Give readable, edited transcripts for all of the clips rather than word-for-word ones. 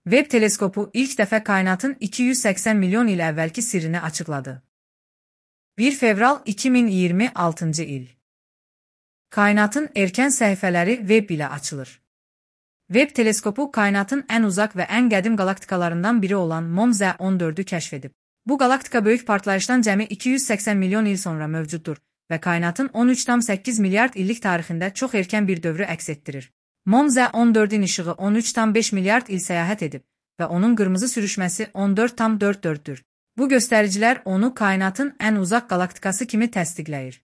Webb teleskopu ilk dəfə kainatın 280 milyon il əvvəlki sirrini açıqladı. 1 fevral 2026 il. Kainatın erkən səhifələri Webb ilə açılır. Webb teleskopu kainatın ən uzaq və ən qədim qalaktikalarından biri olan MOMZ-14-ü kəşf edib. Bu qalaktika böyük partlayışdan cəmi 280 milyon il sonra mövcuddur və kainatın 13,8 milyard illik tarixində çox erkən bir dövrü əks etdirir. MOMZ-14-ün işığı 13,5 milyard il səyahət edib və onun qırmızı sürüşməsi 14,44-dür. Bu göstəricilər onu kainatın ən uzaq qalaktikası kimi təsdiqləyir.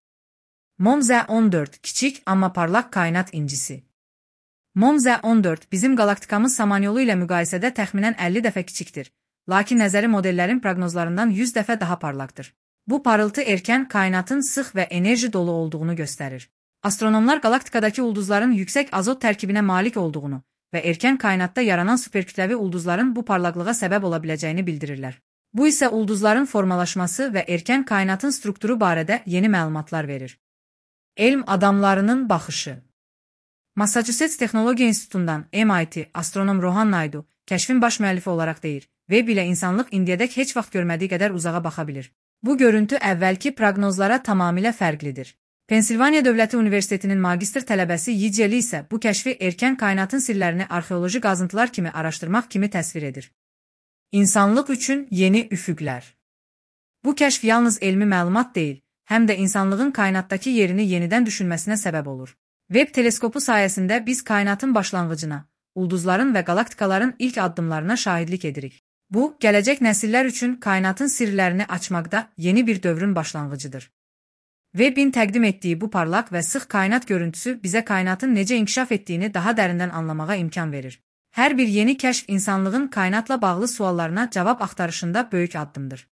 MOMZ-14 kiçik, amma parlaq kainat incisi. MOMZ-14 bizim qalaktikamız Samanyolu ilə müqayisədə təxminən 50 dəfə kiçikdir, lakin nəzəri modellərin proqnozlarından 100 dəfə daha parlaqdır. Bu parıltı erkən kainatın sıx və enerji dolu olduğunu göstərir. Astronomlar qalaktikadakı ulduzların yüksək azot tərkibinə malik olduğunu və erkən kainatda yaranan superkütləvi ulduzların bu parlaqlığa səbəb ola biləcəyini bildirirlər. Bu isə ulduzların formalaşması və erkən kainatın strukturu barədə yeni məlumatlar verir. Elm adamlarının baxışı. Massachusetts Texnologiya İnstitutundan MIT astronom Rohan Naidu kəşfin baş müəllifi olaraq deyir, Webb ilə insanlıq indiyədək heç vaxt görmədiyi qədər uzağa baxa bilir. Bu görüntü əvvəlki proqnozlara tamamilə fərqlidir. Pensilvaniya Dövləti Universitetinin magistr tələbəsi Yiceli isə bu kəşfi erkən kainatın sirlərini arxeoloji qazıntılar kimi araşdırmaq kimi təsvir edir. İnsanlıq üçün yeni üfüqlər. Bu kəşf yalnız elmi məlumat deyil, həm də insanlığın kainatdakı yerini yenidən düşünməsinə səbəb olur. Webb teleskopu sayəsində biz kainatın başlanğıcına, ulduzların və qalaktikaların ilk addımlarına şahidlik edirik. Bu, gələcək nəsillər üçün kainatın sirlərini açmaqda yeni bir dövrün başlanğıcıdır. Webbin təqdim etdiyi bu parlaq və sıx kainat görüntüsü bizə kainatın necə inkişaf etdiyini daha dərindən anlamağa imkan verir. Hər bir yeni kəşf insanlığın kainatla bağlı suallarına cavab axtarışında böyük addımdır.